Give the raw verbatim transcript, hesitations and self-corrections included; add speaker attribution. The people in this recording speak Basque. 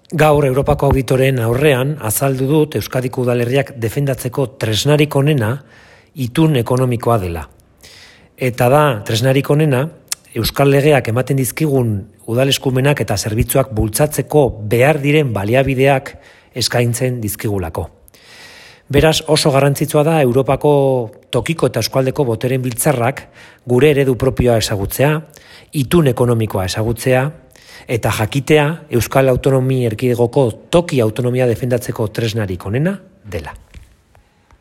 Speaker 1: Gaur Europako auditoren aurrean azaldu dut Euskadiko udalerriak defendatzeko tresnarik onena itun ekonomikoa dela. Eta da, tresnarik onena, Euskal Legeak ematen dizkigun udaleskumenak eta zerbitzuak bultzatzeko behar diren baliabideak eskaintzen dizkigulako. Beraz, oso garrantzitsua da Europako tokiko eta eskualdeko boteren biltzarrak gure eredu propioa ezagutzea, itun ekonomikoa ezagutzea, eta jakitea Euskal Autonomi Erkidegoko toki autonomia defendatzeko tresnarik onena dela.